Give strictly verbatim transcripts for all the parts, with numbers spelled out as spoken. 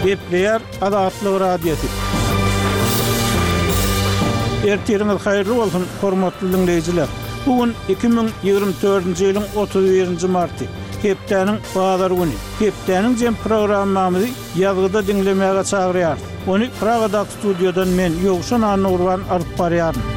Gepleýär Azatlyk Radiosy. Ertiriňiz haýyrly bolsun, hormatly diňleýjiler! Bu gün iki müň ýigrimi dördünji ýylyň otuz birinji marty, hepdäniň bazar güni. Hepdäniň jem programmamyzy ýazgyda diňlemäge çagyrýarys. Ony Pragadaky studiýadan men, Ýowşan Annagurban alyp barýaryn.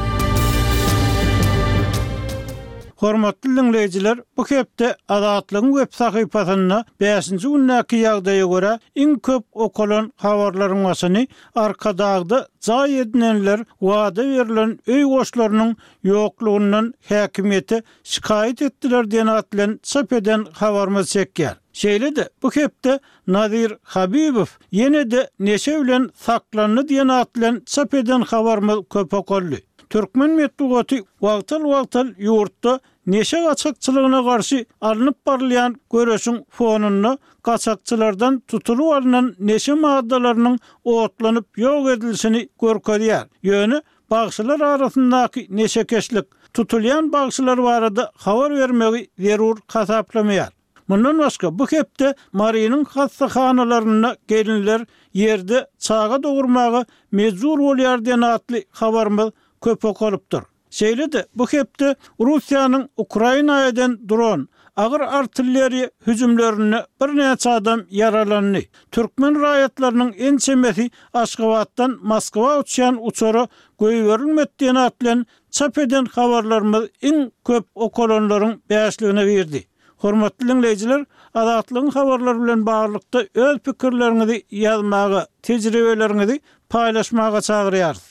Hormatly diňleýjiler, bu hepde Azatlygyň web sahypasynda bäşinji gündäki ýagdaýa görä iň köp okalan habarlaryň başyny Arkadagda jaý edinenler wada berlen öý goşlarynyň ýoklugyndan häkimiýete şikaýat etdiler diýen at bilen çap eden habarymyz çekýär. Şeýle-de bu hepde Nazir Habibow ýene-de neşe bilen saklandy diýen at bilen çap eden habarymyz köp okaldy. Türkmen metbugaty wagtal-wagtal ýurtda neşe gaçakçylygyna garşy alnyp barylýan göreşiň fonunda gaçakçylardan tutulyp alnan neşe maddalarynyň otlanyp ýok edilişini görkezýär. Ýöne bagşylar arasyndaky neşekeşlik, tutulýan bagşylar barada habar bermegi zerur hasaplamaýar. Mundan başga, bu hepde Marynyň hassahanalarynda gelinler ýerde çaga dogurmaga mejbur bolýar diýen atly habarymyz köp okalypdyr. Şeýle-de, bu hepde Russiýanyň Ukraina eden dron, agyr artilleriýa hüjümlerinde birnäçe adam ýaralandy. Türkmen raýatlarynyň ençemesi Aşgabatdan Moskwa uçýan uçara goýberilmedi diýen at bilen çap eden habarlarymyz iň köp okalanlaryň bäşligine girdi. Hormatly diňleýjiler, Azatlygyň habarlary bilen baglylykda öz pikirleriňizi ýazmaga, tejribeleriňizi paýlaşmaga çagyrýarys.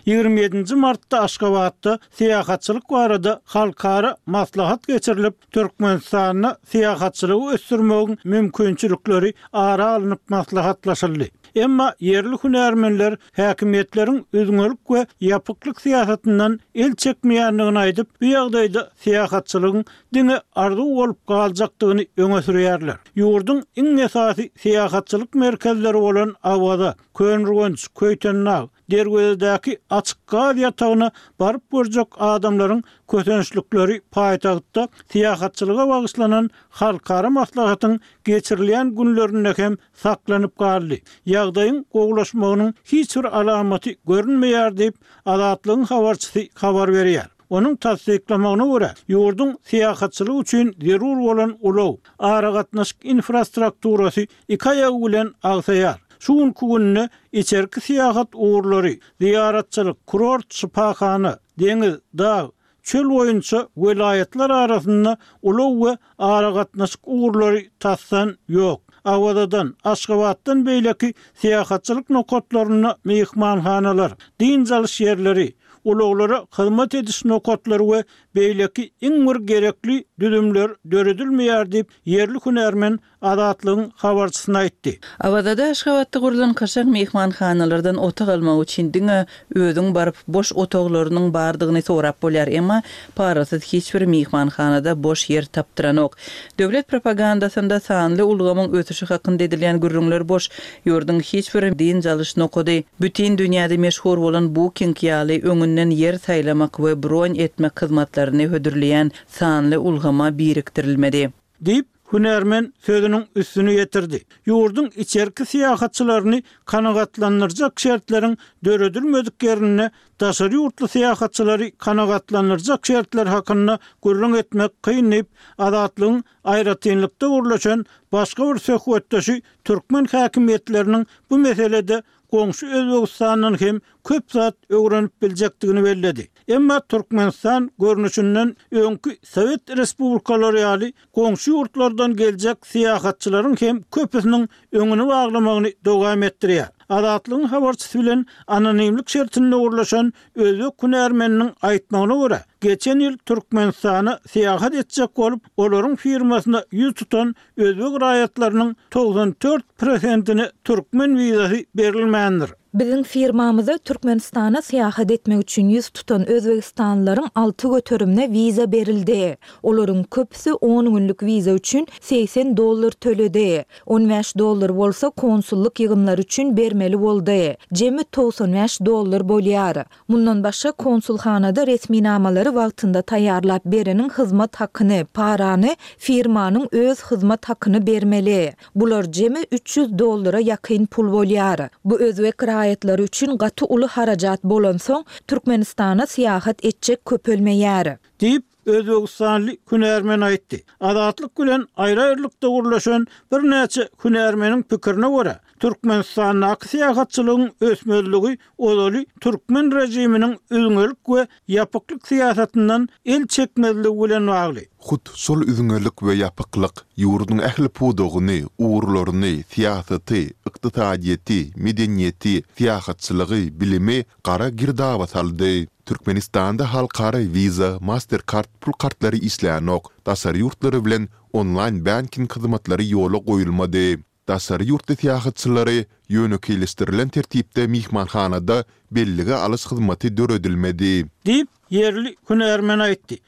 Ýigrimi ýedinji martda Aşgabatda syýahatçylyk barada halkara maslahat geçirilip, Türkmenistanda syýahatçylygy ösdürmegiň mümkinçilikleri ara alnyp maslahatlaşyldy. Emma ýerli hünärmenler häkimiýetleriň üzňelik we ýapyklyk syýasatyndan el çekmeýändigini aýdyp, bu ýagdaýda syýahatçylygyň diňe arzuw bolup galjakdygyny öňe sürýärler. Ýurduň iň esasy syýahatçylyk merkezleri bolan Awaza, Köneürgenç, Köýtendag, Derwezedäki açyk gaz ýatagyna baryp görjek adamlaryň kösençlikleri paýtagtda syýahatçylyga bagyşlanan halkara maslahatyň geçirilýän günlerinde hem saklanyp galdy. Ýagdaýyň gowulaşmagynyň hiç bir alamaty görünmeýär diýip, Azatlygyň habarçysy habar berýär. Onuň tassyklamagyna görä, ýurduň syýahatçylyk üçin zerur bolan ulag, aragatnaşyk infrastrukturasy iki aýagy bilen agsaýar. Şu günki günde içerki syýahat ugurlary, zyýaratçylyk, kurort, şypahana, deňiz, dag, çöl boýunça welaýatlar arasynda ulag we aragatnaşyk ugurlary tasdan ýok. Awazadan, Aşgabatdan beýleki syýahatçylyk nokatlarynda myhmanhanalar, dynç alyş ýerleri, ulaglara hyzmat ediş nokatlary we beýleki iň bir gerekli düzümler döredilmeýär diýip, ýerli hünärmen Azatlygyň habarçysyna aýtdy. Awazada Aşgabatda gurlan kaşaň myhmanhanalardan otag almak üçin diňe özüň baryp, boş otaglarynyň bardygyny sorap bolýar, emma parasyz hiç bir myhmanhanada boş ýer tapdyranok. Döwlet propagandasynda sanly ulgamyň ösüşi hakynda edilýän gürrüňler boş, ýurduň hiç bir dynç alyş nokady, bütin dünýäde meşhur bolan Booking ýaly öňünden ýer saýlamak we bron etmek hyzmatlaryny hödürleýän sanly ulgama birikdirilmedi. Diýip, hünärmen sözüniň üstüni ýetirdi. Ýurduň içerki syýahatçylaryny kanagatlandyrjak şertleriň döredilmedik ýerinde daşary ýurtly syýahatçylary kanagatlandyrjak şertler hakynda gürrüň etmek kyn diýip, Azatlygyň aýratynlykda gürleşen başga bir söhbetdeşi türkmen häkimiýetleriniň bu meselede goňşy Özbegistandan hem köp zat öwrenip biljekdigini belledi. Emma Türkmenistan görnüşinden öňki sowet respublikalary ýaly goňşy ýurtlardan geljek syýahatçylaryň hem köpüsiniň öňüni baglamagyny dowam etdirýär. Azatlygyň habarçysy bilen anonimlik şertinde gürleşen özbek hünärmeniniň aýtmagyna görä, geçen ýyl Türkmenistana syýahat etjek bolup, olaryň firmasyna ýüz tutan özbek raýatlarynyň togsan dört prosentine türkmen wizasy berilmändir. Biziň firmamyza Türkmenistana syýahat etmek üçin ýüz tutan özbegistanlylaryň alty göterimine wiza berildi. Olaryň köpüsi on günlük wiza üçin segsen dollar töledi. On bäş dollar bolsa konsullyk ýygymlary üçin bermeli boldy. Jemi togsan bäş dollar bolýar. Mundan başga, konsulhanada resminamalary wagtynda taýýarlap bereniň hyzmat hakyny, parany, firmanyň öz hyzmat hakyny bermeli. Bular jemi üç ýüz dollara ýakyn pul bolýar. Bu özbek raýatlary üçin gaty uly harajat bolansoň, Türkmenistana syýahat etjek köpelmeýär. Diýip, özbegistanly hünärmen aýtdy. Azatlyk bilen aýry-aýrylykda gürleşen birnäçe hünärmeniň pikirine görä, Türkmenistandaky syýahatçylygyň ösmezligi ozaly türkmen režiminiň üzňelik we ýapyklyk syýasatyndan el çekmezligi bilen bagly. Hut şol üzňelik we ýapyklyk ýurduň ähli pudagyny, ugurlaryny, syýasaty, ykdysadyýeti, medeniýeti, syýahatçylygy, bilimi gara girdaba saldy. Türkmenistanda halkara Visa, Mastercard pul kartlary işlänok, daşary ýurtlary bilen onlaýn banking hyzmatlary ýola goýulmady. Daşary ýurtly syýahatçylary ýönekeýleşdirilen tertipde myhmanhanada bellige alyş hyzmaty döredilmedi. Diýip, ýerli hünärmen aýtdy.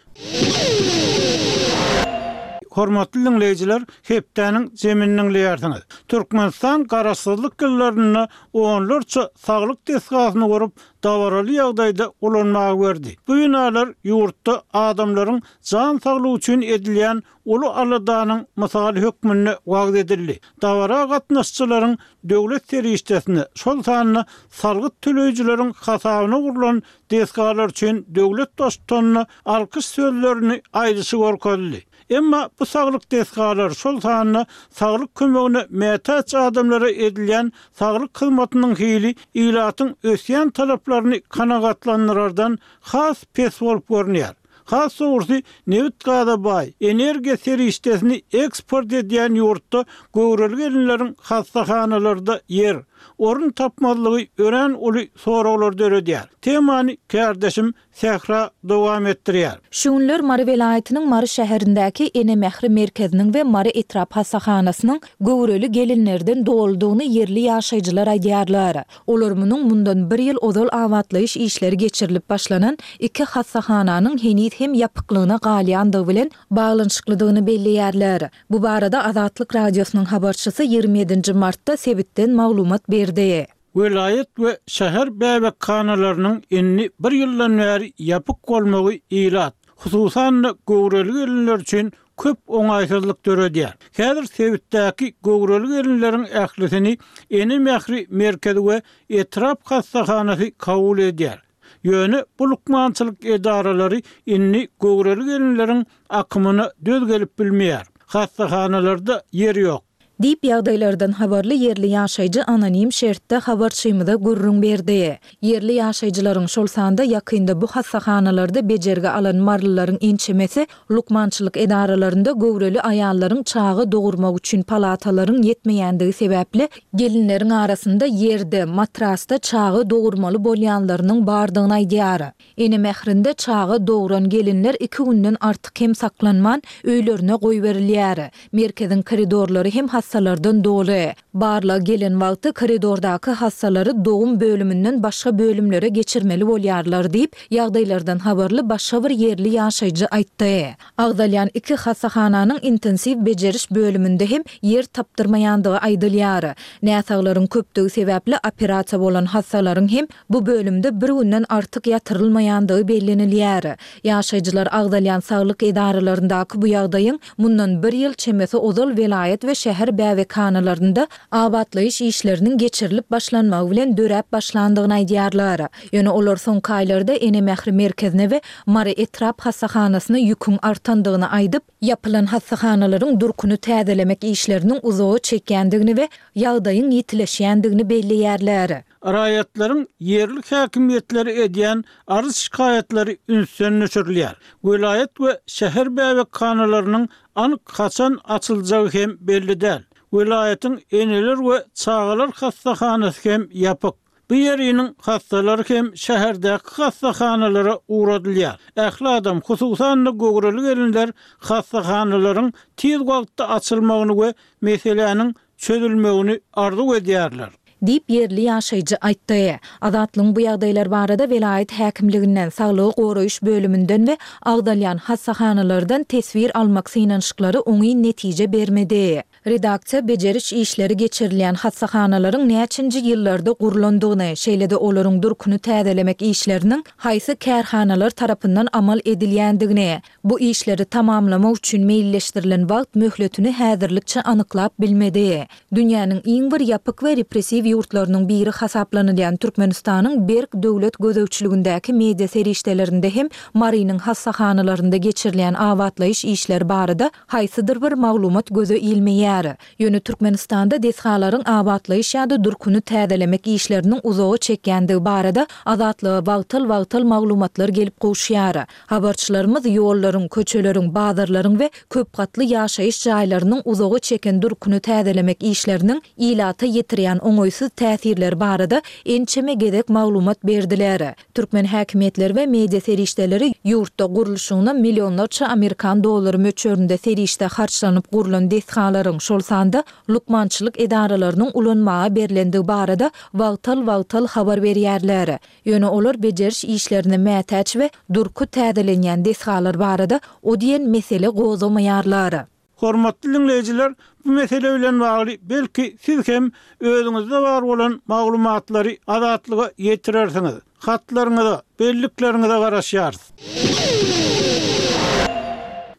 Hormatly diňleýjiler, hepdäniň zemini diňleýärsiňiz. Türkmenistan garaşsyzlyk ýyllarynda onlarça saglyk desgasyny gurup, dabaraly ýagdaýda ulanmaga berdi. Bu binalar ýurtda adamlaryň jan saglygy üçin edilýän uly aladanyň mysaly hökmünde wagyz edildi. Dabara gatnaşyjylaryň döwlet serişdesine, şol sanda salgyt töleýjileriň hasabyna gurlan desgalar üçin döwlet baştutanyna alkyş sözlerini aýdyşy görkezildi. Emma bu saglyk desgalary, şol sanda saglyk kömegine mätäç adamlara edilýän saglyk hyzmatynyň hili ilatyň ösýän talaplaryny kanagatlandyrardan has pes bolup görünýär. Has dogrusy, nebit-gaza baý, energiýa serişdesini eksport edýän ýurtda göwreli gelinleriň hassahanalarda ýer, orun tapmazlygy örän uly soraglar döredýär. Temany kärdeşim Sähra dowam etdirýär. Şu günler Mary welaýatynyň Mary şäherindäki Ene mähri merkeziniň we Mary etrap hassahanasynyň göwreli gelinlerden doludygyny ýerli ýaşaýjylar aýdýarlar. Olar munuň mundan bir ýyl ozal abatlaýyş işleri geçirilip başlanan iki hassahananyň heniz hem ýapyklygyna galýandygy bilen baglanyşyklydygyny belleýärler. Bu barada Azatlyk Radiosynyň habarçysy ýigrimi ýedinji martda sebitden maglumat berdi. Welaýat we şäher bäbekhanalarynyň indi bir ýyldan bäri ýapyk bolmagy ilat, hususan-da göwreli gelinler üçin köp oňaýsyzlyk döredýär. Häzir sebitdäki göwreli gelinleriň ählisini Ene mähri merkezi we etrap hassahanasy kabul edýär. Ýöne bu lukmançylyk edaralary indi göwreli gelinleriň akymyna döz gelip bilmeýär. Hassahanalarda ýer ýok. Diýip, ýagdaýlardan habarly ýerli ýaşaýjy anonim şertde habarçymyza gürrüň berdi. Ýerli ýaşaýjylaryň, şol sanda ýakynda bu hassahanalarda bejergi alan marylylaryň ençemesi lukmançylyk edaralarynda göwreli aýallaryň çaga dogurmak üçin palatalaryň ýetmeýändigi sebäpli gelinleriň arasynda ýerde, matrasda çaga dogurmaly bolýanlarynyň bardygyny aýdýar. Ene mährinde çaga dogran gelinler iki günden artyk hem saklanman, öýlerine goýberilýär. Merkeziň koridorlary hem hassalardan doly. Barlag gelen wagty koridordaky hassalary dogum bölüminden başga bölümlere geçirmeli bolýarlar diýip, ýagdaýlardan habarly başga bir ýerli ýaşaýjy aýtdy. Agzalýan iki hassahananyň intensiw bejeriş bölüminde hem ýer tapdyrmaýandygy aýdylýar. Näsaglaryň köpdügi sebäpli operasiýa bolan hassalaryň hem bu bölümde bir günden artyk ýatyrylmaýandygy bellenilýär. Ýaşaýjylar agzalýan saglyk edaralaryndaky bu ýagdaýyň mundan bir ýyl çemesi ozal welaýat we şäher bäbekhanalarynda abatlaýyş işleriniň geçirilip başlanmagy bilen döräp başlandygyny aýdýarlar. Ýöne olar soňky aýlarda Ene mähri merkezine we Mary etrap hassahanasyna ýüküň artandygyny aýdyp, ýapylan hassahanalaryň durkuny täzelemek işleriniň uzaga çekýändigini we ýagdaýyň ýitileşýändigini belleýärler. Raýatlaryň ýerli häkimiýetleri edýän arz-şikaýatlary ünsden düşürilýär. Welaýat we şäher bäbekhanalarynyň anyk haçan açyljagy hem belli däl. Welaýatyň eneler we çagalar hassahanasy hem ýapyk. Bu ýeriniň hassalary hem şäherdäki hassahanalara ugradylýar. Ähli adam, hususan-da göwreli gelinler hassahanalaryň tiz wagtda açylmagyny we meseläniň çözülmegini arzuw edýärler. Diýip, ýerli ýaşaýjy aýtdy. Azatlygyň bu ýagdaýlar barada welaýat häkimliginden, saglygy goraýyş bölüminden we agzalýan hassahanalardan teswir almak synanyşyklary oňyn netije bermedi. Redaksiýa bejeriş işleri geçirilýän hassahanalaryň näçinji ýyllarda gurlandygyny, şeýle-de olaryň durkuny täzelemek işleriniň haýsy kärhanalar tarapyndan amal edilýändigini, bu işleri tamamlamak üçin meýilleşdirilen wagt möhletini häzirlikçe anyklap bilmedi. Dünýäniň iň bir ýapyk we repressiw ýurtlarynyň biri hasaplanylýan Türkmenistanyň berk döwlet gözegçiligindäki media serişdelerinde hem Marynyň hassahanalarynda geçirilýän abatlaýyş işleri barada haýsydyr bir maglumat göze ilmeýär. Ýöne Türkmenistanda desgalaryň abatlaýyş ýa-da durkuny täzelemek işleriniň uzaga çekýändigi barada Azatlyga wagtal-wagtal maglumatlar gelip gowuşýar. Habarçylarymyz ýollaryň, köçeleriň, bazarlaryň we köp gatly ýaşaýyş jaýlarynyň uzaga çeken durkuny täzelemek işleriniň ilata ýetirýän oňaýsyz täsirleri barada ençeme gezek maglumat berdiler. Türkmen häkimiýetleri we media serişdeleri ýurtda gurluşygyna millionlarça amerikan dollary möçberinde serişde harçlanyp gurlan desgalaryň, şol sanda lukmançylyk edaralarynyň ulanmaga berlendigi barada wagtal-wagtal habar berýärler. Ýöne olar bejeriş işlerine mätäç we durky täzelenýän desgalar barada o diýen mesele gozgamaýarlar. Hormatly diňleýjiler, bu mesele bilen bagly belki siz hem özüňizde bar bolan maglumatlary Azatlyga ýetirersiňiz. Hatlaryňyza, bellikleriňize garaşýarys.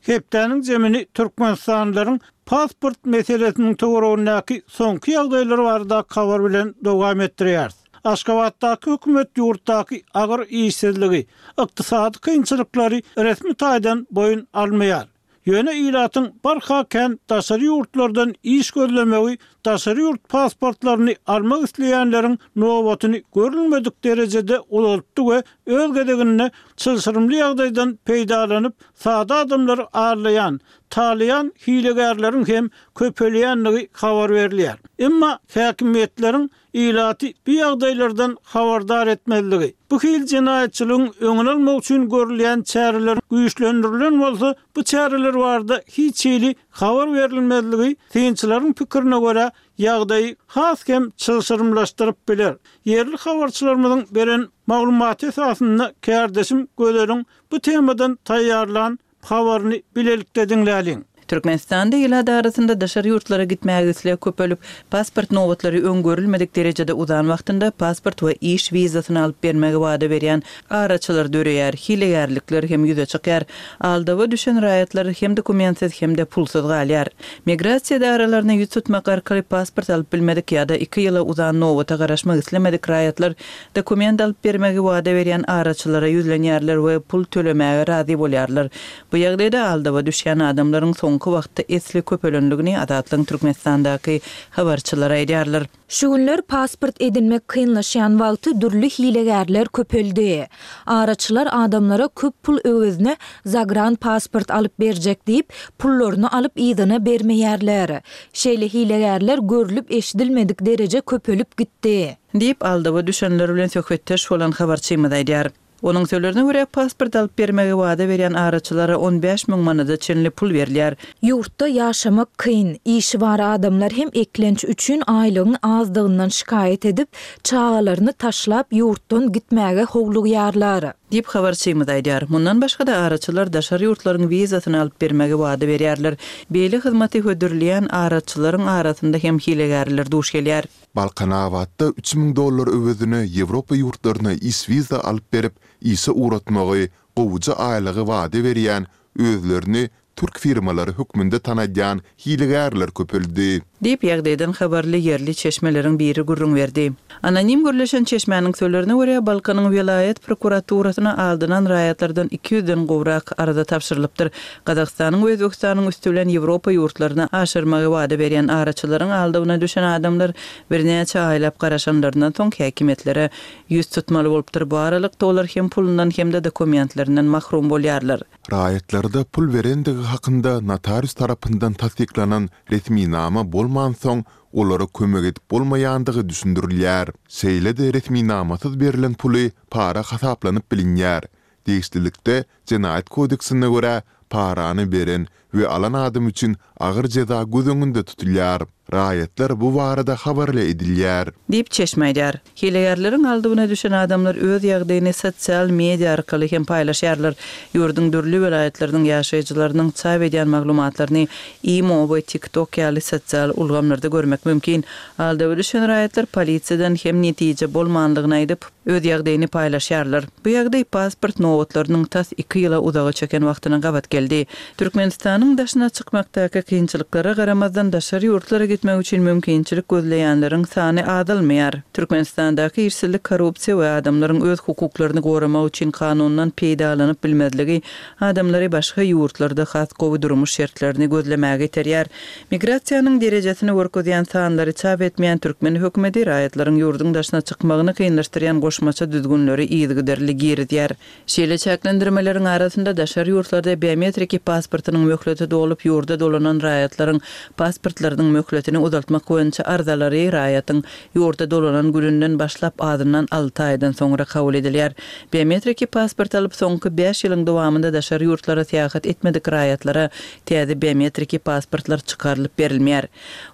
Hepdäniň jemini türkmenistanlylaryň pasport meselesiniň töweregindäki soňky ýagdaýlar baradaky habar bilen dowam etdirýäris. Aşgabatdaky hökümet ýurtdaky agyr işsizligi, ykdysady kynçylyklary resmi taýdan boýun almaýar. Ýöne ilatyň barha kän daşary ýurtlardan iş gözlemegi daşary ýurt pasportlaryny almak isleýänleriň nobatyny görülmedik derejede uzaltdy we öz gezeginde çylşyrymly ýagdaýdan peýdalanyp, sada adamlary aldaýan, talaýan hilegärleriň hem köpelýändigi habar berilýär. Emma häkimiýetleriň ilaty bu ýagdaýlardan habardar etmezligi, bu hili jenaýatçylygyň öňüni almak üçin görülýän çäreler güýçlendirilen bolsa, bu çäreler barada hiç hili habar berilmezligi, synçylaryň pikirine görä, ýagdaýy has hem çylşyrymlaşdyryp biler. Ýerli habarçylarymyzyň beren maglumaty esasynda kärdeşim Gözeliň bu temadan taýýarlan habaryny bilelikde diňläliň. Türkmenistanda ilat arasynda daşary ýurtlara gitmäge isleg köpelip, pasport nobatlary öň görülmedik derejede uzan wagtynda pasport we iş wizasyny alyp bermegi wada berýän araçylar döreýär, hilegärlikler hem ýüze çykýar. Aldawa düşen raýatlar hem dokumentsiz hem-de pulsuz galýar. Migrasiýa edaralaryna ýüz tutmak arkaly pasport alyp bilmedik ýa-da iki ýyla uzan nobata garaşmak islemedik raýatlar dokument alyp bermegi wada berýän araçylara ýüzlenýärler we pul tölemäge razy bolýarlar. Bu ýagdaýda aldawa düşýän adamlaryň soňky wagtda esli köpelendigini Azatlygyň Türkmenistandaky habarçylary aýdýarlar. Şu günler pasport edinmek kynlaşýan wagty dürli hilegärler köpeldi. Araçylar adamlara köp pul öwezine zagran pasport alyp berjek diýip, pullaryny alyp yzyna bermeýärler. Şeýle hilegärler görlüp-eşidilmedik dereje köpelip gitdi. Diýip, aldawa düşenler bilen söhbetdeş bolan habarçymyz aýdýar. Onuň sözlerine görä, pasport alyp bermegi wada berýän araçylara on bäş müň manada çenli pul berilýär. Ýurtda ýaşamak kyn, işi bar adamlar hem eklenç üçin aýlygyň azdygyndan şikaýat edip, çagalaryny taşlap ýurtdan gitmäge howlugýarlar. Diýip, habarçymyz aýdýar. Mundan başga-da araçylar daşary ýurtlaryň wizasyny alyp bermegi wada berýärler. Beýle hyzmaty hödürleýän araçylaryň arasynda hem hilegärler duş gelýär. Balkanabatda üç müň dollar öwezine Ýewropa ýurtlaryna iş wiza alyp berip, işe ugratmagy, gowuja aýlygy wada berýän, özlerini türk firmalary hökmünde tanadýan hilegärler köpeldi. Diýip, ýagdaýdan habarly ýerli çeşmeleriň biri gürrüň berdi. Anonim gürleşen çeşmäniň sözlerine görä, Balkanyň welaýat prokuraturasyna aldanan raýatlardan iki ýüzden gowrak arza tabşyrylypdyr. Gazagystanyň we Özbegistanyň üsti bilen Ýewropa ýurtlaryna aşyrmagy wada berýän araçylaryň aldawyna düşen adamlar birnäçe aýlap garaşanlaryndan soň häkimiýetlere ýüz tutmaly bolupdyr. Bu aralykda olar hem pulundan hem-de dokumentlerinden mahrum bolýarlar. Raýatlarda pul berendigi hakynda notarius tarapyndan tassyklanan resminama bolmansoň, olara kömek edip bolmaýandygy düşündirilýär. Şeýle-de resminamasyz berlen puly para hasaplanyp bilinýär. Degişlilikde, Jenaýat kodeksine görä, parany beren we alan adam üçin agyr jeza göz öňünde tutulýar. Raýatlar bu barada habarly edilýär. Diýip, çeşme aýdýar. Hilegärleriň aldawyna düşen adamlar öz ýagdaýyny sosial media arkaly hem paýlaşýarlar. Ýurduň dürli welaýatlarynyň ýaşaýjylarynyň çap edýän maglumatlaryny Imo we TikTok ýaly sosial ulgamlarda görmek mümkin. Aldawa düşen raýatlar polisiýadan hem netije bolmanlygyny aýdyp, öz ýagdaýyny paýlaşýarlar. Bu ýagdaý pasport nobatlarynyň tas iki ýyla uzaga çeken wagtyna gabat geldi. Türkmenistanyň daşyna çykmakdaky kynçylyklara garamazdan, daşary ýurtlara gitmek üçin mümkinçilik gözleýänleriň sany azalmaýar. Türkmenistandaky işsizlik, korrupsiýa we adamlaryň öz hukuklaryny goramak üçin kanundan peýdalanyp bilmezligi adamlary başga ýurtlarda has gowy durmuş şertlerini gözlemäge iterýär. Migrasiýanyň derejesini görkezýän sanlary çap etmeýän türkmen hökümeti raýatlaryň ýurduň daşyna çykmagyny kynlaşdyrýan goşmaça düzgünleri yzygiderli girizýär. Şeýle çäklendirmeleriň arasynda daşary ýurtlarda biometriki pasportynyň möhleti dolup ýurda dolanan raýatlaryň pasportlarynyň möhletini uzaltmak boýunça arzalary raýatyň ýurda dolanan gününden başlap azyndan alty aýdan soňra kabul edilýär. Biometriki pasport alyp soňky bäş ýylyň dowamynda daşary ýurtlara syýahat etmedik raýatlara täze biometriki pasportlar çykarylyp berilmeýär.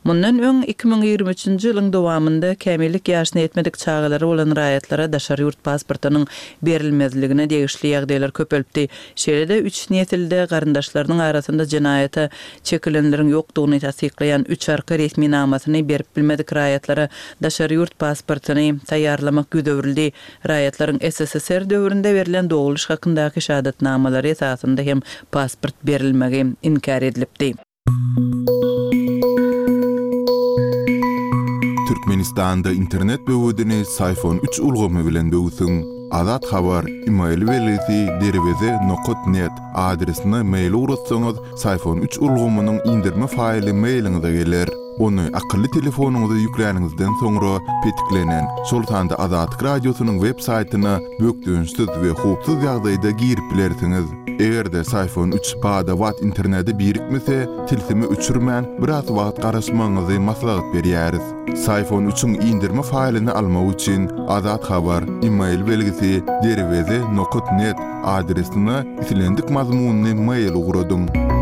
Mundan öň iki müň ýigrimi üçünji ýylyň dowamynda kämillik ýaşyna ýetmedik çagalary bolan raýatlara daşary ýurt pasportynyň berilmezligine degişli ýagdaýlar köpelipdi. Şeýle-de üç nesilde garyndaşlarynyň arasynda jenaýata çekilenleriň ýokdugyny tassyklaýan üç arka resminamasyny berip bilmedik raýatlara daşary ýurt pasportyny taýýarlamak ýüz öwrüldi. Raýatlaryň S S S R döwründe berlen dogluş hakyndaky şahadatnamalary esasynda hem pasport berilmegi inkär edilipdi. Türkmenistanda internet böwedini Syfon üç ulgamy bilen böwsüň. Azat Habar, email belgisi derweze nokat net adresine mail ugratsaňyz, Syfon üç ulgamynyň indirme faýly mailiňize geler. Ony akylly telefonyňyza ýükläniňizden soňra petiklenen, şol sanda Azatlyk Radiosynyň web saýtyna bökdençsiz we howpsuz ýagdaýda girip bilersiňiz. Eger-de Syfon üç bada-bat internete birikmese, tilsimi öçürmän, biraz wagt garaşmagyňyzy maslahat berýäris. Syfon üçüň indirme faýlyny almak üçin Azat Habar, email belgisi derweze nokat net adresine islendik mazmunly mail ugradyň.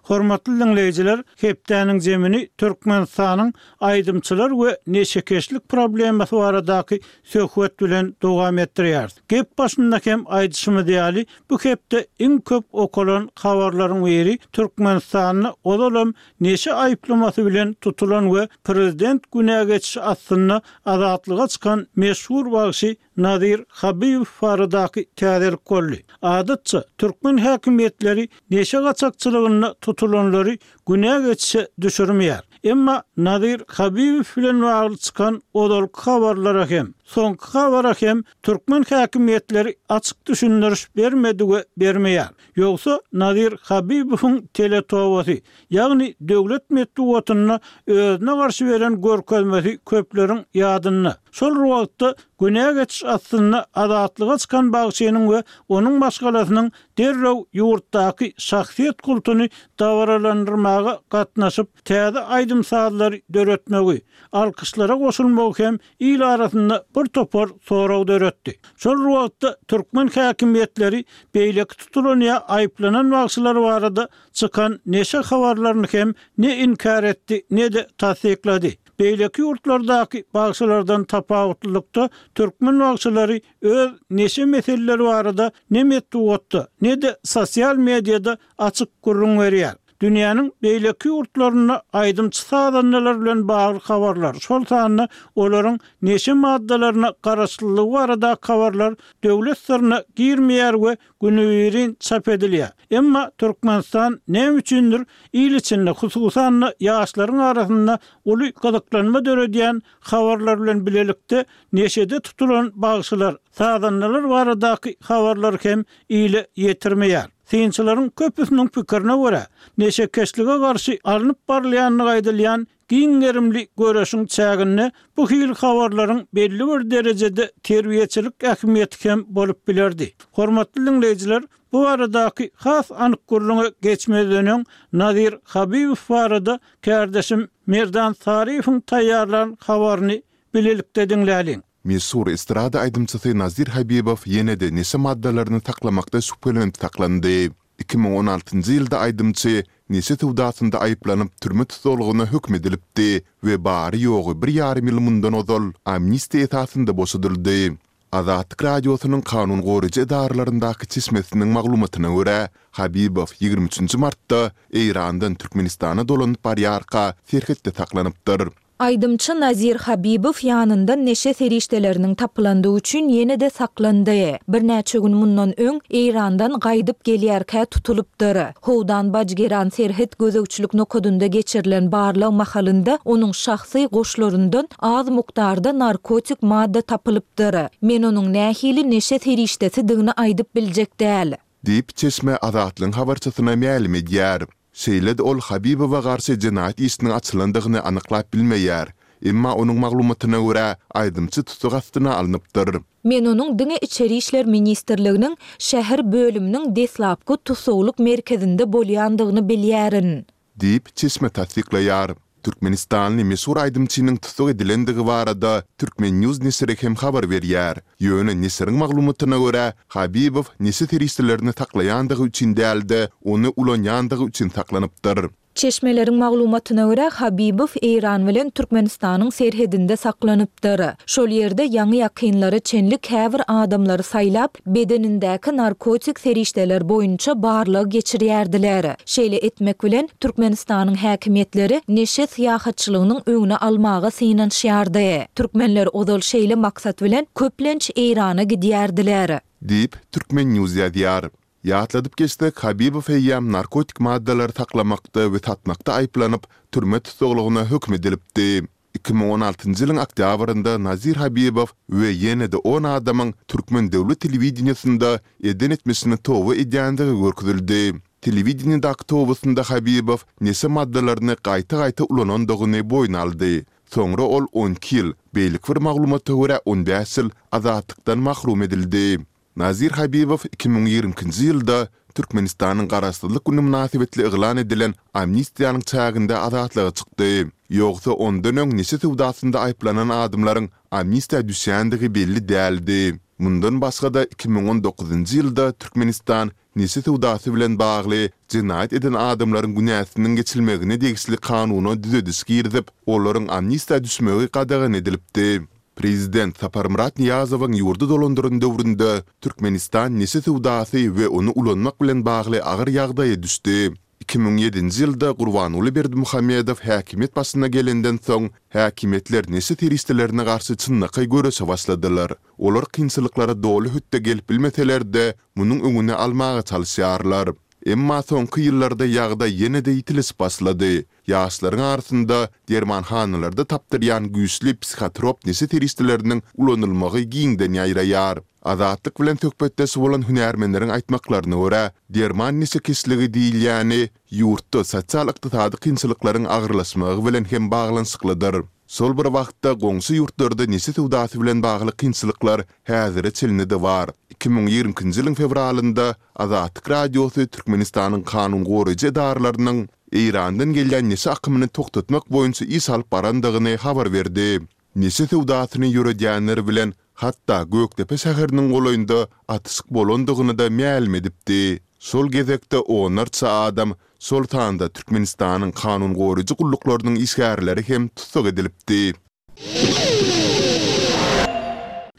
Hormatly dinleýjiler, hepdäniň zemini Türkmenistanyň aýdymçylar we neşekeşlik problemasy baradaky söhbet bilen dowam etdirýär. Gep başynda hem aýdyşymyz ýaly, bu hepde iň köp okalan habarlaryň biri Türkmenistanda ozalam neşe aýyplamasy bilen tutulan we prezident günä geçişi astynda azatlyga çykan meşhur bagşy Nazir Habibow baradaky täzelik boldy. Adatça türkmen häkimiýetleri neşe gaçakçylygynda tutulanlary günä geçişe düşürmeýär. Emma Nazir Habibow bilen bagly çykan ozalky habarlara hem, soňky habara hem türkmen häkimiýetleri açyk düşündiriş bermedi we bermeýär. Ýogsa Nazir Habibowyň teletobasy, ýagny döwlet metbugatynda özüne garşy beren görkezmesi köpleriň ýadynda. Şol wagtda günä geçiş astynda azatlyga çykan bagşynyň we onuň maşgalasynyň derrew ýurtdaky şahsyýet kultuny dabaralandyrmaga gatnaşyp, täze aýdym-sazlary döretmegi, alkyşlara goşulmagy hem il arasynda bir topar sorag döretdi. Şol wagtda türkmen häkimiýetleri beýleki tutulan ýa aýyplanan bagşylar barada çykan neşe habarlaryny hem ne inkär etdi, ne-de tassyklady. Beýleki ýurtlardaky bagşylardan tapawutlylykda türkmen bagşylary öz neşe meseleleri barada ne metbugatda, ne-de sosial mediada açyk gürrüň berýär. Dünýäniň beýleki ýurtlarynda aýdymçy sazandalar bilen bagly habarlar, şol sanda olaryň neşe maddalaryna garaşlylygy barada habarlar döwlet syryna girmeýär we günübirin çap edilýär. Emma Türkmenistan näme üçindir il içinde, hususan-da ýaşlaryň arasynda uly gyzyklanma döredýän habarlar bilen bilelikde neşede tutulan bagşylar, sazandalar baradaky habarlar hem ile ýetirmeýär. Synçylaryň köpüsiniň pikirine görä, neşekeşlige garşy alnyp barylýandygy aýdylýan giň gerimli göreşiň çäginde bu hili habarlaryň belli bir derejede terbiýeçilik ähmiýeti hem bolup bilerdi. Hormatly dinleýjiler, bu baradaky has anyk gürrüňe geçmezden öň Nazir Habibow barada kärdeşim Merdan Saryýewiň taýýarlan habaryny bilelikde diňläliň. Meşhur estrada aýdymçysy Nazir Habibow ýene-de neşe maddalaryny saklamakda şübhelenip saklandy. Iki müň on altynjy ýylda aýdymçy neşe söwdasynda aýyplanyp türme tussaglygyna höküm edilipdi we bary-ýogy bir ýarym ýyl mundan ozal amnistiýa esasynda boşadyldy. Azatlyk Radiosynyň kanun goraýjy edaralaryndaky çeşmesiniň maglumatyna görä, Habibow ýigrimi üçünji martda Eýrandan Türkmenistana dolanyp barýarka serhetde saklanypdyr. Aýdymçy Nazir Habibow ýanyndan neşe serişdeleriniň tapylandygy üçin ýene-de saklandy. Birnäçe gün mundan öň Eýrandan gaýdyp gelýärkä tutulypdyr. Howdan-Bajgeran serhet gözegçilik nokadynda geçirilen barlag mahalynda onuň şahsy goşlaryndan az mukdarda narkotik madda tapylypdyr. Men onuň nähili neşe serişdesidigini aýdyp biljek däl. Diýip, çeşme Azatlygyň habarçysyna mälim edýär. Şeýle-de ol Habibowa garşy jenaýat işiniň açylandygyny anyklap bilmeýär. Emma onuň maglumatyna görä, aýdymçy tussag astyna alnypdyr. Men onuň diňe Içeri işler ministrliginiň şäher bölüminiň deslapky tussaglyk merkezinde bolýandygyny bilýärin. Diýip, çeşme tassyklaýar. Türkmenistanly meşhur aýdymçynyň tussag edilendigi barada Turkmen. News neşiri hem habar berýär. Ýöne neşiriň maglumatyna görä, Habibow neşe serişdelerini saklaýandygy üçin däl-de, ony ulanýandygy üçin saklanypdyr. Çeşmeleriň maglumatyna görä, Habibow Eýran bilen Türkmenistanyň serhedinde saklanypdyr. Şol ýerde ýaňy-ýakynlara çenli käbir adamlary saýlap, bedenindäki narkotik serişdeler boýunça barlag geçirýärdiler. Şeýle etmek bilen, Türkmenistanyň häkimiýetleri neşe syýahatçylygynyň öňüni almaga synanyşýardy. Türkmenler ozal şeýle maksat bilen köplenç Eýrana gidýärdiler. Diýip, Turkmen. News ýazýar. Ýatladyp geçsek, Habibow eýýäm narkotik maddalary saklamakda we satmakda aýyplanyp, türme tussaglygyna höküm edilipdi. Iki müň on altynjy ýylyň oktýabrynda Nazir Habibow we ýene-de on adamyň türkmen döwlet telewideniýesinde eden etmişini toba edýändigi görkezildi. Telewideniýedäki tobasynda Habibow neşe maddalaryny gaýta-gaýta ulanandygyny boýun aldy. Soňra ol on iki ýyl, beýleki bir maglumata görä on bäş ýyl azatlykdan mahrum edildi. Nazir Habibow iki müň ýigrimi ikinji ýylda Türkmenistanyň Garaşsyzlyk güni mynasybetli yglan edilen amnistiýanyň çäginde azatlyga çykdy. Ýogsa ondan öň neşe söwdasynda aýyplanan adamlaryň amnistiýa düşýändigi belli däldi. Mundan başga-da iki müň on dokuzynjy ýylda Türkmenistan neşe söwdasy bilen bagly jenaýat eden adamlaryň günäsiniň geçilmegine degişli kanuna düzediş girizip, olaryň amnistiýa düşmegi gadagan edilipdi. Prezident Saparmyrat Nyýazowyň ýurdy dolandyran döwründe Türkmenistan neşe söwdasy we ony ulanmak bilen bagly agyr ýagdaýa düşdi. Iki müň ýedinji ýylda Gurbanguly Berdimuhamedow häkimiýet başyna gelenden soň, häkimiýetler neşe serişdelerine garşy çynlakaý göreşe başladylar. Olar kynçylyklara doly hötde gelip bilmeseler-de, munuň öňüni almaga çalyşýarlar. Emma soňky ýyllarda ýagdaý ýene-de ýitileşip başlady. Ýaşlaryň arasynda dermanhanalarda tapdyrýan güýçli psihotrop neşe serişdeleriniň ulanylmagy giňden ýaýraýar. Azatlyk bilen söhbetdeş bolan hünärmenleriň aýtmaklaryna görä, derman neşekeşligi diýilýäni ýurtda sosial-ykdysady kynçylyklaryň agyrlaşmagy bilen hem baglanyşyklydyr. Şol bir wagtda, goňşy ýurtlarda neşe söwdasy bilen bagly kynçylyklar häzire çenli-de bar. Iki müň ýigrimi ikinji ýylyň fewralynda Azatlyk Radiosy Türkmenistanyň kanun goraýjy edaralarynyň Eýrandan gelýän neşe akymyny togtatmak boýunça iş alyp barandygyny habar berdi. Neşe söwdasyny ýöredýänler bilen hatda Gökdepe şäheriniň golaýynda atyşyk bolandygyny-da mälim edipdi. Şol gezekde onlarça adam, şol sanda Türkmenistanyň kanun goraýjy gulluklarynyň işgärleri hem tussag edilipdi.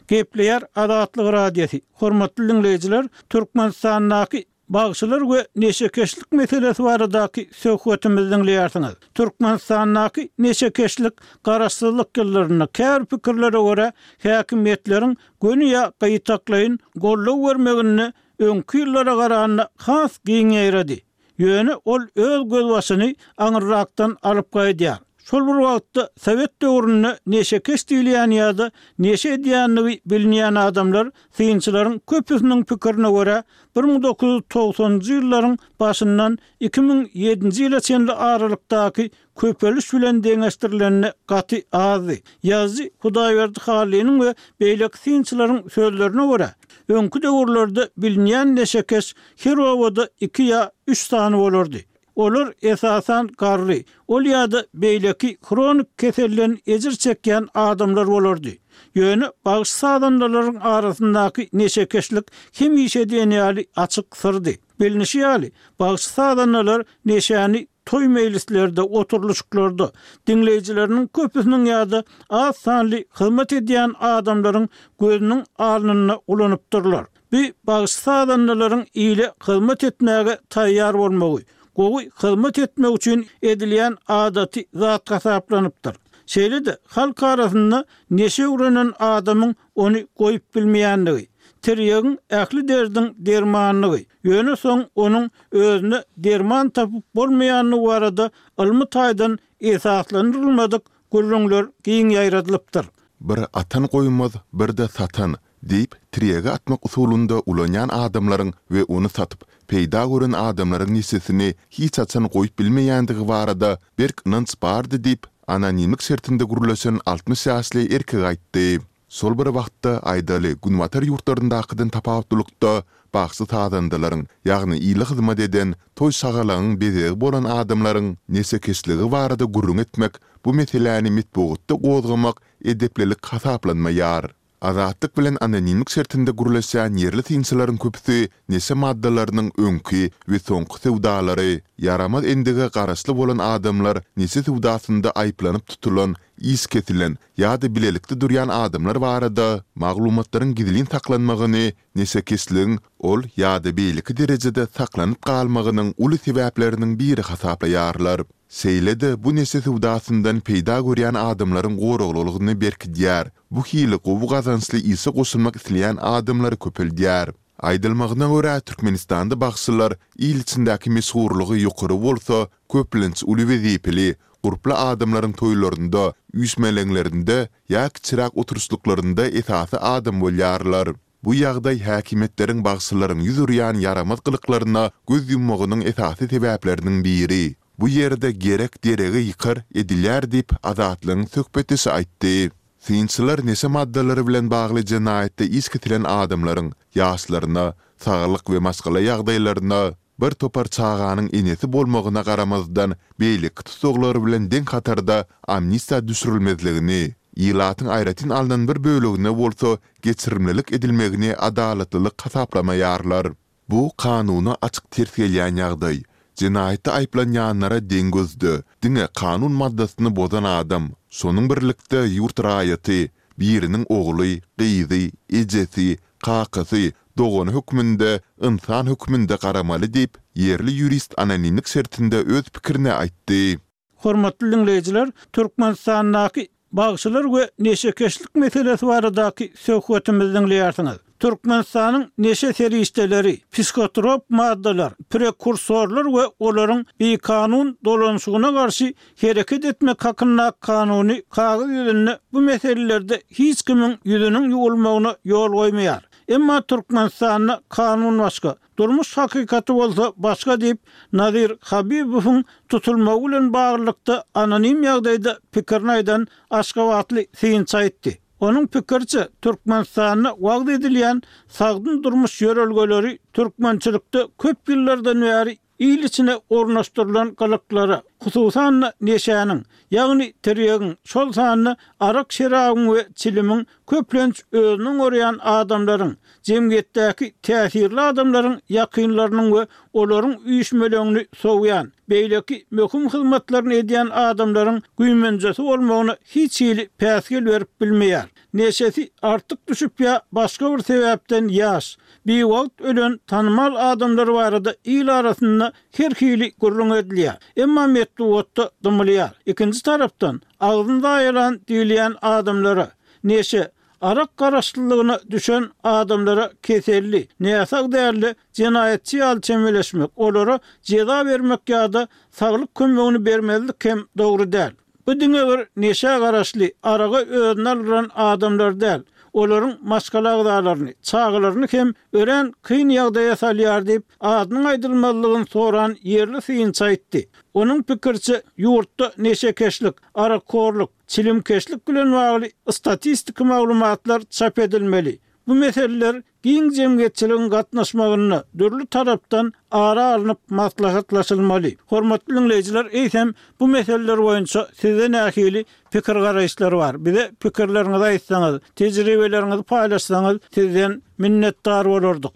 Gepleýär Azatlyk Radiosy, Hormatly diňleýjiler, Türkmenistandaky bagşylar we neşekeşlik meselesi baradaky söhbetimizi diňleýärsiňiz. Türkmenistandaky neşekeşlik garaşsyzlyk ýyllarynda käbir pikirlere görä häkimiýetleriň göni ýa gytaklaýyn goldaw bermeginde öňki ýyllara garanda has giň ýaýrady. Ýöne ol öz gözbaşyny aňyrrakdan alyp gaýdýar. Şol bir wagtda, sowet döwründe neşekeş diýilýän ýa-da neşe edýändigi bilinýän adamlar, synçylaryň köpüsiniň pikirine görä, bir müň dokuz ýüz togsanynjy ýyllaryň başyndan iki müň ýedinji ýyla çenli aralykdaky köpeliş bilen deňeşdirilende gaty azdy. Ýazyjy Hudaýberdi Hallynyň we beýleki synçylaryň sözlerine görä, öňki döwürlerde bilinýän neşekeş her obada iki ýa üç sany bolardy. Olar esasan garry, ol ýa-da beýleki hronik keselden ejir çekýän adamlar bolardy. Ýöne bagşy-sazandalaryň arasyndaky neşekeşlik hemişe diýen ýaly açyk syrdy. Bilnişi ýaly, bagşy-sazandalar neşäni toý-meýlislerde, oturylyşyklarda, diňleýjileriniň köpüsiniň ýa-da az sanly hyzmat edýän adamlaryň gözüniň alnynda ulanypdyrlar. Bu bagşy-sazandalaryň ile hyzmat etmäge taýýar bolmagy, gowy hyzmat etmek üçin edilýän adaty zat hasaplanypdyr. Şeýle-de, halk arasynda neşe öwrenen adamyň ony goýup bilmeýändigi, tirýegiň ähli derdiň dermanydygy, ýöne soň onuň özüne derman tapyp bolmaýandygy barada ylmy taýdan esaslandyrylmadyk gürrüňler giň ýaýradylypdyr. Bir atan goýmaz, bir-de satan diýip, tirýegi atmak usulynda ulanýan adamlaryň we ony satyp, peýda gören adamlaryň neşesini hiç haçan goýup bilmeýändigi barada berk ynanç bardy diýip, anonimlik şertinde gürleşen altmyş ýaşly erkek aýtdy. Şol bir wagtda, aýdaly, günbatar ýurtlaryndakydan tapawutlylykda, bagşy-sazandalaryň, ýagny ile hyzmat eden, toý-şagalaňyň bezegi bolan adamlaryň neşekeşligi barada gürrüň etmek, bu meseläni metbugatda gozgamak edeplilik hasaplanmaýar. Azatlyk bilen anonimlik şertinde gürleşýän ýerli synçylaryň köpüsi neşe maddalarynyň öňki we soňky söwdalary, ýaramaz endige garaşly bolan adamlar neşe söwdasynda aýyplanyp tutulan, iş kesilen ýa-da bilelikde durýan adamlar barada maglumatlaryň gizlin saklanmagyny neşekeşligiň ol ýa-da beýleki derejede saklanyp galmagynyň uly sebäpleriniň biri hasaplaýarlar. Şeýle-de bu neşe söwdasyndan peýda görýän adamlaryň goraglylygyny berkidýär, bu hili gowy gazançly işe goşulmak isleýän adamlary köpeldýär. Aýdylmagyna görä, Türkmenistanda bagşylar il içindäki meşhurlygy ýokary bolsa, köplenç uly wezipeli, gurply adamlaryň toýlarynda, üýşmeleňlerinde ýa kiçiräk oturyşlyklarynda esasy adam bolýarlar. Bu ýagdaý häkimiýetleriň bagşylaryň ýüz urýan ýaramaz gylyklaryna göz ýummagynyň esasy sebäpleriniň biri. Bu ýerde gerek deregi ýykar edilýär diýip, Azatlygyň söhbetdeşi aýtdy. Synçylar neşe maddalary bilen bagly jenaýatda iş kesilen adamlaryň ýaşlaryna, saglyk we maşgala ýagdaýlaryna, bir topar çaganyň enesi bolmagyna garamazdan, beýleki tussaglar bilen deň hatarda amnistiýa düşürilmezligini, ilatyň aýratyn alnan bir bölegine bolsa geçirimlilik edilmegini adalatlylyk hasaplamaýarlar. Bu kanuna açyk ters gelýän ýagdaý. Jenaýatda aýyplanýanlara deň gözde, diňe kanun maddasyny bozan adam, şonuň birlikde ýurt raýaty, biriniň ogly, gyzy, ejesi, kakasy, dogany hökmünde, ynsan hökmünde garamaly diýip, ýerli ýurist anonimlik şertinde öz pikirini aýtdy. Hormatly diňleýjiler, Türkmenistandaky bagşylar we neşekeşlik meselesi baradaky söhbetimizi diňleýärsiňiz. Türkmenistanyň neşe serişdeleri, psihotrop maddalar, prekursorlar we olaryň bikanun dolanyşygyna garşy hereket etmek hakyndaky kanuny kagyz ýüzünde bu meselelerde hiç kimiň ýüzüniň ýuwulmagyna ýol goýmaýar. Emma Türkmenistanda kanun başga, Durmuş hakykaty bolsa başga diýip, Nazir Habibowyň tutulmagy bilen baglylykda anonim ýagdaýda pikirini aýdan aşgabatly synçy aýtdy. Onuň pikiriçe, Türkmenistanda wagyz edilýän sagdyn durmuş ýörelgeleri türkmençilikde köp ýyllardan bäri il içine ornaşdyrylan gylyklara, hususan-da, neşäniň, ýagny tirýegiň, şol sanda arak-şerabyň we çilimiň köplenç özüni oňarýan adamlaryň, jemgyýetdäki täsirli adamlaryň ýakynlarynyň we olaryň üýşmeleňini sowýan, beýleki möhüm hyzmatlaryny edýän adamlaryň güýmenjesi bolmagyna hiç hili päsgel berip bilmeýär. Neşesi artyk düşüp ýa başga bir sebäpden ýaş, biwagt ölen tanymal adamlar barada il arasynda her hili gürrüň edilýär. Emma metbugatda dymylýar. Ikinji tarapdan, agzyny zaýalan diýilýän adamlara, neşe, arak garaşlylygyna düşen adamlara keselli, näsag däl-de, jenaýatçy ýaly çemeleşmek, olara jeza bermek ýa-da saglyk kömegini bermezlik hem dogry däl. Bu diňe bir neşä garaşly, araga özüni aldyran adamlar däl, olaryň maşgala agzalaryny, çagalaryny hem örän kyn ýagdaýa salýar diýip, adynyň aýdylmazlygyny soran ýerli synçy aýtdy. Onuň pikiriçe, ýurtda neşekeşlik, arakhorluk, çilimkeşlik bilen bagly statistiki maglumatlar çap edilmeli. Bu meseleler giň jemgyýetçiligiň gatnaşmagynda dürli tarapdan ara alnyp maslahatlaşylmaly. Hormatly diňleýjiler, eýsem, bu meseleler boýunça sizde nähili pikir-garaýyşlar bar? Bize pikirleriňizi aýtsaňyz, tejribeleriňizi paýlaşsaňyz, sizden minnetdar bolardyk.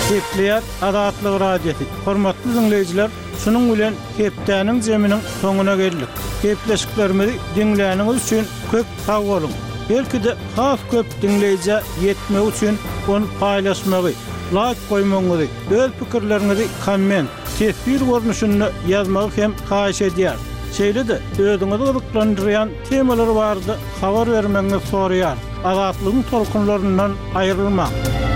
Gepleýär Azatlyk Radiosy. Hormatly diňleýjiler, şunuň bilen hepdäniň zeminiň soňuna geldik. Gepleşiklerimizi diňläniňiz üçin köp sag boluň. Belki-de has köp diňleýjä ýetmegi üçin ony paýlaşmagy, laýk goýmagyňyzy, öz pikirleriňizi komment, teswir görnüşinde ýazmagy hem haýyş edýäris. Şeýle-de özüňizi gyzyklandyrýan temalar barada habar bermegiňizi soraýarys. Azatlygyň tolkunlaryndan aýrylmaň.